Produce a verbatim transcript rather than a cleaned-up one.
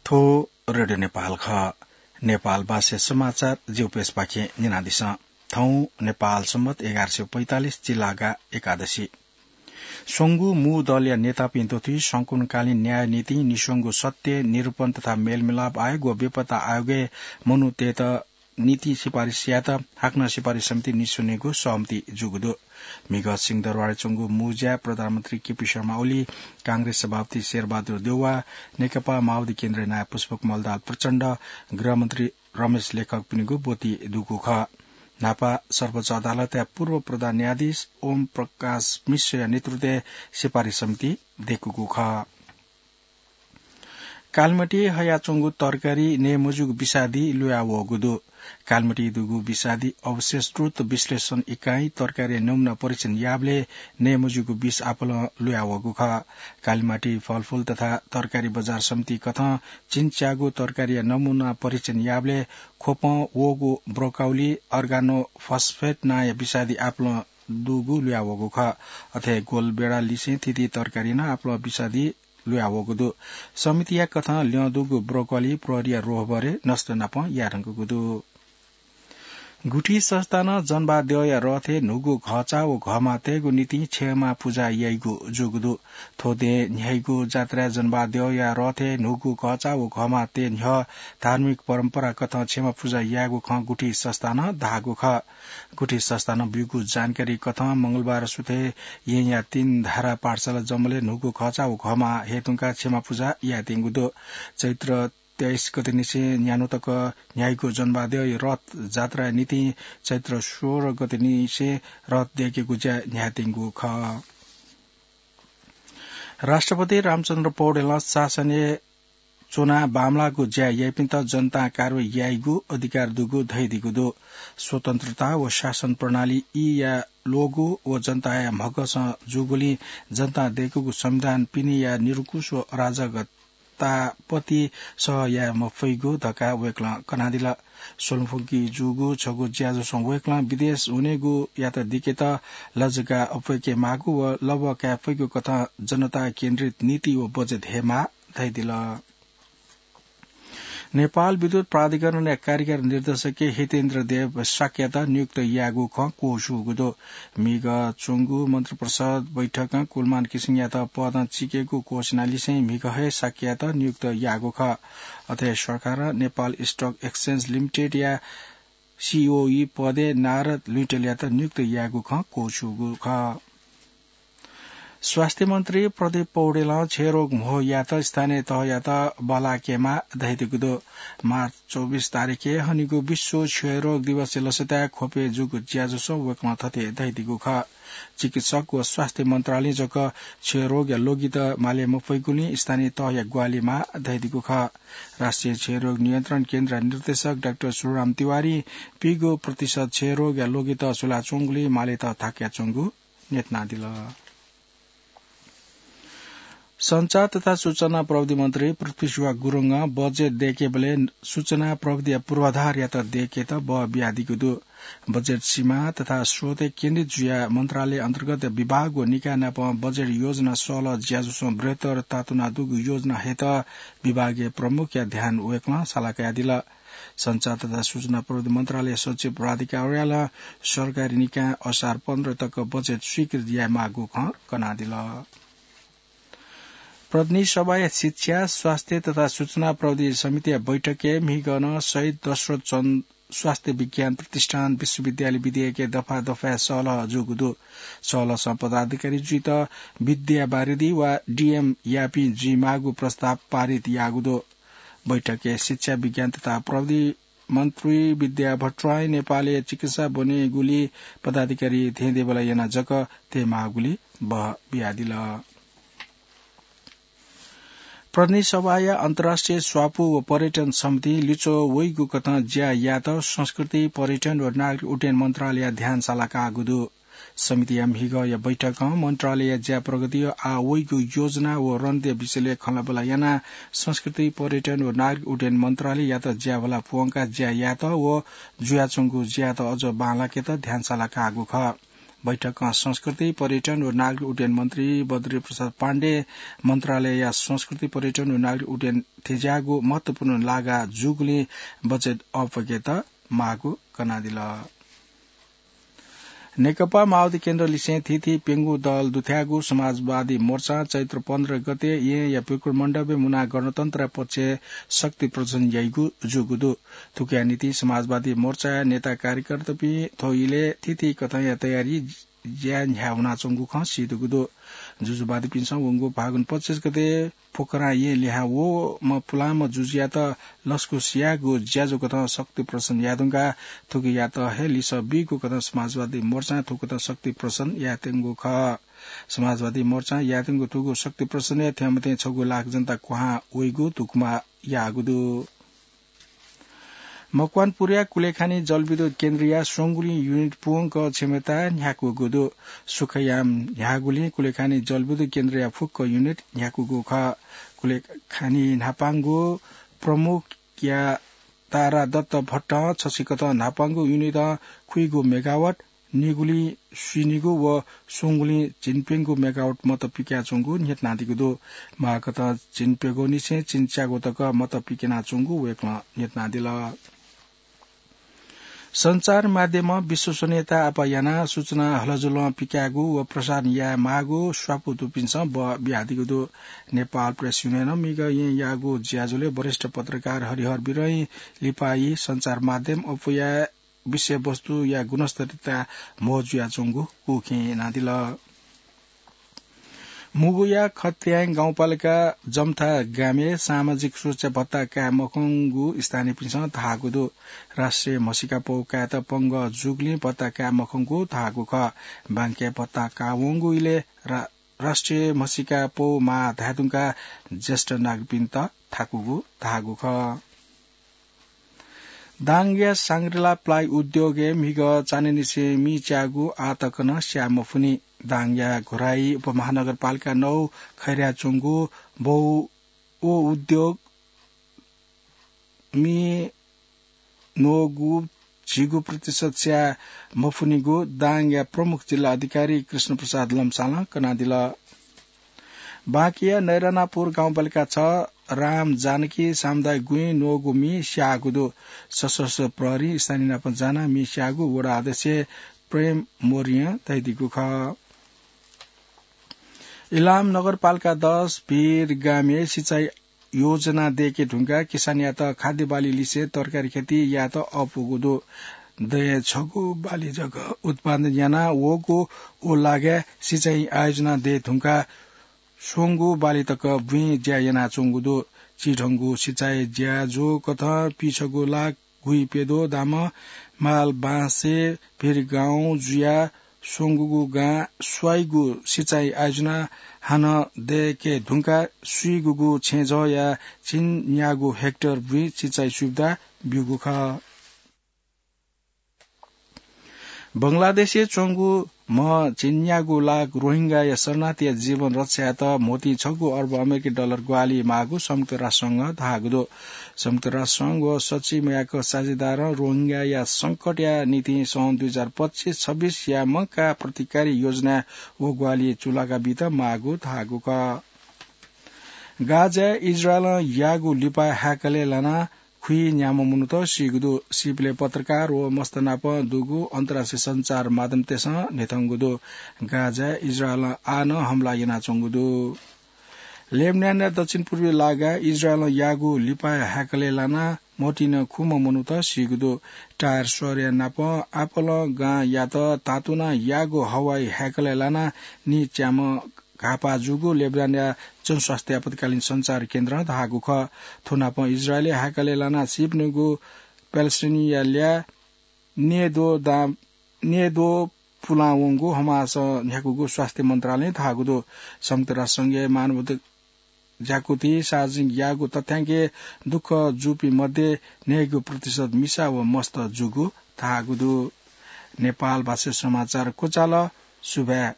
थ्व रेडियो नेपाल खः। नेपाल भाषा समाचार जिउपेसपाखें न्यनादिसँ। थौं नेपाल सम्बत एघार सय पैंतालिस चिलागा एकादशी। स्वंगू मू दलया नेतापिं दथुइ संकुनकालीन न्याय नीतिं निस्वंगू सत्य, निरूपण तथा मेलमिलाप आयोग व बेपत्ता आयोगय् मनूतय्त नीति सिफारिस यायेत हाकनं सिफारिस समिति निस्वनेगु सहमति जूगु दु। म्हिगः सिंहदरबारय् च्वंगु मू ज्याय् प्रधानमन्त्री केपी शर्मा ओली, कांग्रेस सभापति शेरबहादुर देउवा, नेकपा माओवादी केन्द्रया नायः पुष्पकमल दाहाल प्रचण्ड, गृहमन्त्री रमेश लेखकपिनिगु ब्वति दुगु खः। न्हापा सर्वोच्च अदालतया पूर्व प्रधान न्यायाधीश ओम प्रकाश मिश्रया नेतृत्वय् सिफारिस समिति दय्कूगु खः। कालिमाटी हयाच्वंगु तरकारी नये मज्यूगु विषादी लुया वःगु दु। कालिमाटी दुगु विषादी अवशेष द्रुत विश्लेषण इकाइं तरकारी नमुना परीक्षण याःबलय् नये मज्यूगु विष आपालं लुया वःगु खः। कालिमाटी फलफूल तथा तरकारी बजार समिति कथं चिन्च्याःगु तरकारीया नमुना परीक्षण याःबलय् ख्वपं वःगु ब्रोकाउली, अर्गानोफस्फेट नांया विषादी आपालं दुगु लुया वःगु खः। अथे गोलबेडा लिसें थीथी तरकारी नं आपालं विषादी लुया वःगु दु। समितिया कथं ल्यं दुगु ब्रोकोली प्रहरीया रोहबरय् नष्ट नापं याये धुंकूगु दु। गुठी संस्थानं जनबहाद्यःया रथय् न्हूगु घःचा व घःमा तयेगु निंतिं क्षमा पुजा याइगु जूगु दु। थ्व दँय् न्ह्याइगु जात्राय् जनबहाद्यःया रथय् न्हूगु घःचा व घःमा तये न्ह्यः धार्मिक परम्परा कथं क्षमा पुजा यायेगु खँ गुठी संस्थानं धाःगु खः। गुठी संस्थानं ब्यूगु जानकारी कथं मंगलबार सुथय् येँया तीन धारा पाठशाला जमलय् न्हूगु घःचा व घःमा हये धुंकाः क्षमा पुजा यायेत्यंगु दु। चैत्र तेइस गतेनिसें न्यान्हु तक न्ह्याइगु जनबहाद्यःया रथ जात्राया निंतिं चैत्र सोह्र गतेनिसें रथ दय्केगु ज्या न्ह्यायेत्यंगु खः। राष्ट्रपति रामचन्द्र पौडेलं शासनय् च्वनाः बांमलाःगु ज्या याइपिन्त जनतां कारवाही याइगु अधिकार दुगु धयादीगु दु। स्वतन्त्रता व शासन प्रणाली ईया ल्वःगु व जनताया म्हगसं जूगुलिं जनतां दय्कूगु संविधान पिनेया निरंकुश व अराजकता तापति सह याये मफइगु धकाः वय्कलं कनादिल। स्वल्मफुंकी जूगु छगू ज्याझ्वलं वय्कलं विदेश हुनेगुयात दिकेत लजगाः अप्वय्के माःगु व लबः काये फइगु कथं जनता केन्द्रित नीति व बजेट हये माः धयादिल। नेपाल विद्युत प्राधिकरणया कार्यकारी निर्देशक हितेन्द्र देव शाक्ययात नियुक्त याःगु खँ क्वछुगु दु। म्हिगः च्वंगु मन्त्रिपरिषद बैठकं कुलमान किसिङयात पदं चिकेगु घोषणा लिसें म्हिगः हे शाक्ययात नियुक्त याःगु खः। अथे सरकारं नेपाल स्टक एक्सचेन्ज लिमिटेडया सीओई पदय् नारद लुइँटेलयात नियुक्त याःगु खँ क्वछुगु खः। स्वास्थ्य मन्त्री प्रदीप पौडेलं क्षयरोग म्हो यायेत स्थानीय तहयात बल्लाकेमाः धयादीगु दु। मार्च चौबिस तारिखय् हनीगु विश्व क्षयरोग दिवसया लसताय् ख्वपय् जूगु ज्याझ्वलय् वय्कलं थथे धयादीगु खः। चिकित्सक व स्वास्थ्य मन्त्रालयं जक क्षयरोगया ल्वगित माले मफइगुलिं स्थानीय तहया ग्वाहालि माः धयादीगु खः। राष्ट्रिय क्षयरोग नियन्त्रण केन्द्रया निर्देशक डाक्टर सुरराम तिवारीं पीगू प्रतिशत क्षयरोगया ल्वगित सुलाच्वंगुलिं मालेत थाकयाच्वंगु न्ह्यथनादिल। सञ्चार तथा सूचना प्रविधि मन्त्री पृथ्वीशुवा गुरुङं बजेट दय्केबलय् सूचना प्रविधिया पूर्वाधारयात दय्केत बः बियादीगु दु। बजेट सीमा तथा स्रोतय् केन्द्रित जुयाः मन्त्रालय अन्तर्गत विभाग व निकाय नाप बजेट योजना सहलह ज्याझ्वलय् बृहत्तर तातुना दुगु योजना हयेत विभागीय प्रमुखया ध्यान वय्कलं साला कयादिल। सञ्चार तथा सूचना प्रविधि मन्त्रालय सचिव राधिका अर्यालं सरकारी निकायं असार पन्ध्र तक बजेट स्वीकृत यायेमाःगु खँ कनादिल। प्रतिनिधि सभाया शिक्षा, स्वास्थ्य तथा सूचना प्रविधि समितिया बैठकय् म्हिगः नं शहीद दशरथ चन्द स्वास्थ्य विज्ञान प्रतिष्ठान विश्वविद्यालय विधेयकय् दफा दफाय् सहलह जूगु दु। सहलहसं पदाधिकारी जुइत विद्यावारिधि वा डीएम याःपिं जुइमाःगु प्रस्ताव पारित याःगु दु। बैठकय् शिक्षा, विज्ञान तथा प्रविधि मन्त्री विद्या भट्टराईं नेपालय् चिकित्सा ब्वनेगुली पदाधिकारी धेंधेंबल्लाः यानाः जक तयेमाःगुली बः बियादिल। प्रतिनिधि सभाया अन्तर्राष्ट्रिय स्वापू व पर्यटन समितिं लिच्वः वइगु कथं ज्या यायेत संस्कृति, पर्यटन व नागरिक उड्डयन मन्त्रालयया ध्यान साला काःगु दु। समितिया म्हिगःया बैठकं मन्त्रालयया ज्या प्रगति, आः वइगु योजना व रणनीतिया विषयलय् खँल्हाबल्हा यानाः संस्कृति, पर्यटन व नागरिक उड्डयन मन्त्रालययात ज्याभला प्वंकाः ज्या यायेत व जुयाच्वंगु ज्यायात अझ बांलाकेत ध्यान साला काःगु खः। बैठकं संस्कृति, पर्यटन व नागरिक उड्डयन मन्त्री बद्री प्रसाद पाण्डे मन्त्रालयया संस्कृति, पर्यटन व नागरिक उड्डयन थेंज्याःगु महत्वपूर्ण लागा जूगुलिं बजेट अप्वय्केत माःगु कनादिल। नेकपा माओवादी केन्द्र लिसें थीथी प्यंगू दल दुथ्याःगु समाजवादी मोर्चां चैत्र पन्ध्र गते येँया प्यकुर मण्डपय् मुनाः गणतन्त्रया पक्षय् शक्ति प्रदर्शन याइगु जूगु दु। थुकिया निंतिं समाजवादी मोर्चाया नेता कार्यकर्तापिं थ्व इलय् थीथी कथंया तयारी ज्या न्ह्याः वनाच्वंगु खँ सीदुगु दु। जुजुवादीपिन्सं वंगु फागुन पच्चिस गते पोखरां येँ लिहां वःम्ह पुलांम्ह जुजुयात लसकुस यायेगु ज्याझ्वः कथं शक्ति प्रदर्शन याये धुंकाः थुकियात हे लिसः बीगु कथं समाजवादी मोर्चां थुकथं शक्ति प्रदर्शन यायेत्यंगु खः। समाजवादी मोर्चां यायेत्यंगु थुगु शक्ति प्रदर्शनय् थ्यंमथें छगू लाख जनता क्वहां वइगु धुकुमा याःगु दु। मकवानपुरया कुलेखानी जलविद्युत केन्द्रया स्वंगुलिं युनिट पूवंक क्षमता न्ह्याकूगु दु। सुखयाम न्ह्याःगुलिं कुलेखानी जलविद्युत केन्द्रया फुक्क युनिट न्ह्याकूगु खः। कुलेखानी न्हापांगु प्रमुखया तारादत्त भट्टं छसिकथं न्हापांगु युनिटं खुइगु मेगावाट, निगुलिं स्वीनिगू व स्वंगुलिं झिंप्यंगू मेगावाट मत पिकाच्वंगु न्ह्यथनादीगु दु। माःकथं झिंप्यंगूनिसें झिंच्यागू तक मत पिकयाच्वंगु वय्कलं न्ह्यथनादिल। सञ्चार माध्यमं विश्वसनीयता आपाः यानाः सूचना हलजुलं पिकायेगु व प्रसारण याये माःगु स्वापू दुपिन्सं बः बियादीगु दु। नेपाल प्रेस युनियनं म्हिगः येँयाःगु ज्याझ्वलय् वरिष्ठ पत्रकार हरिहर बिरही लिपाइ सञ्चार माध्यम अप्वयाः विषयवस्तुया गुणस्तरीयता म्हो जुयाच्वंगु उखें यानादिल। मुगुया खत्याङ गाउँपालिका जम्था गामय् सामाजिक सुरक्षा भत्ता काये मखंगु स्थानीयपिन्सं धाःगु दु। राष्ट्रिय म्हसीका पौ कायेत पंगः जूगुलिं भत्ता काये मखंगु धाःगु खः। बांके भत्ता काः वंगु इलय् रा-, राष्ट्रिय म्हसीका पौ माः धाये धुंकाः ज्येष्ठ नागरिकपिन्त थाकूगु धाःगु खः। दाङया सांग्रिला प्लाइ उद्योगय् म्हिगः चान्हय्‌निसें मि च्याःगु आः तक नं स्याये मफुनि। दाङया घोराही उपमहानगरपालिका नौ खैराय् च्वंगु बौ व उद्योग मि न्वःगु झिगू प्रतिशत स्याये मफुनिगु दाङया प्रमुख जिल्ला अधिकारी कृष्ण प्रसाद लम्सालं कनादिल। बाँकेया नैरानापुर गाउँपालिका छ राम जानकी सामुदायिक गुँइ न्वःगु मि स्याःगु दु। सशस्त्र प्रहरीं स्थानीय नाप जानाः मि स्याःगु वडा अध्यक्ष प्रेम मौर्यं धयादीगु खः। इलाम नगरपालिका दस भिर गामय् सिँचाइ योजना दय्‌के धुंकाः किसानयात खाद्य बाली लिसें तरकारी खेती यायेत अःपुगु दु। दँय् छगू बाली जक उत्पादन याना वःगु व लागाय् सिँचाइ आयोजना दये धुंकाः स्वंगू बाली तक बुँइ ज्या यानाच्वंगु दु। चिधंगु सिँचाइ ज्याझ्वः कथं पीछगू लाख गुइप्यद्वः दामं माल बाँसे भिरगाउँ जुयाः स्वंगूगु गां स्वाइगु सिँचाइ आयोजना हानं दय्‌के धुंकाः स्वीगूगु छेँजःया झिंन्यागू हेक्टर बुँइ सिँचाइ सुविधा ब्यूगु खः। बंगलादेशय् च्वंगु म्ह झिंन्यागू लाख रोहिंगाया शरणार्थीया जीवन रक्षायात म्होतिं छगू अर्ब अमेरिकी डलर ग्वाहालि माःगु संयुक्त राष्ट्रसंघं धाःगु दु। संयुक्त राष्ट्रसंघ व सच्छि मयाक साझेदारं रोहिंगाया संकटया निंतिं सन् दुई हजार पच्चिस छब्बिसया मंकाः प्रतिकारी योजना व ग्वाहालि चूलाका बीत माःगु धाःगु खः। गाजाय् इजरायलं याःगु लिपा हाय्‌कलय् लानाः खुइन्याम्ह मनूत सीगु दु। सीपिले पत्रकार व मस्त नाप दुगु अन्तर्राष्ट्रिय सञ्चार माध्यमतय्‌सं न्ह्यथंगु दु। गाजाय् इजरायलं आः नं हमला यानाच्वंगु दु। लेबनानया दक्षिण पूर्वी लागाय् इजरायलं याःगु लिपा हाय्‌कलय् लानाः म्होतिं खुम्ह मनूत सीगु दु। टायर शहरया नाप आपोलो गांयात तातुनाः याःगु हवाई हाय्‌कलय् लानाः नीच्याम्ह घाःपाः जूगु लेबनानया जनस्वास्थ्य आपतकालीन सञ्चार केन्द्रं धाःगु खः। थ्व नापं इजरायलय् हाय्‌कलय् लानाः सीपिनिगु प्यालेस्टाइनया ल्याः न्येद्वः दां, न्येद्वः पुलां वंगु हमासं न्ह्याकूगु स्वास्थ्य मन्त्रालयं धाःगु दु। संयुक्त राष्ट्रसंघया मानव ज्याकुथिं सार्वजनिक याःगु तथ्याङ्कय् दुःख जूपिं मध्ये न्हय्‌गू प्रतिशत मिसा व मस्त जूगु धाःगु दु। नेपाल भाषा समाचार क्वचाल। सुभाय्।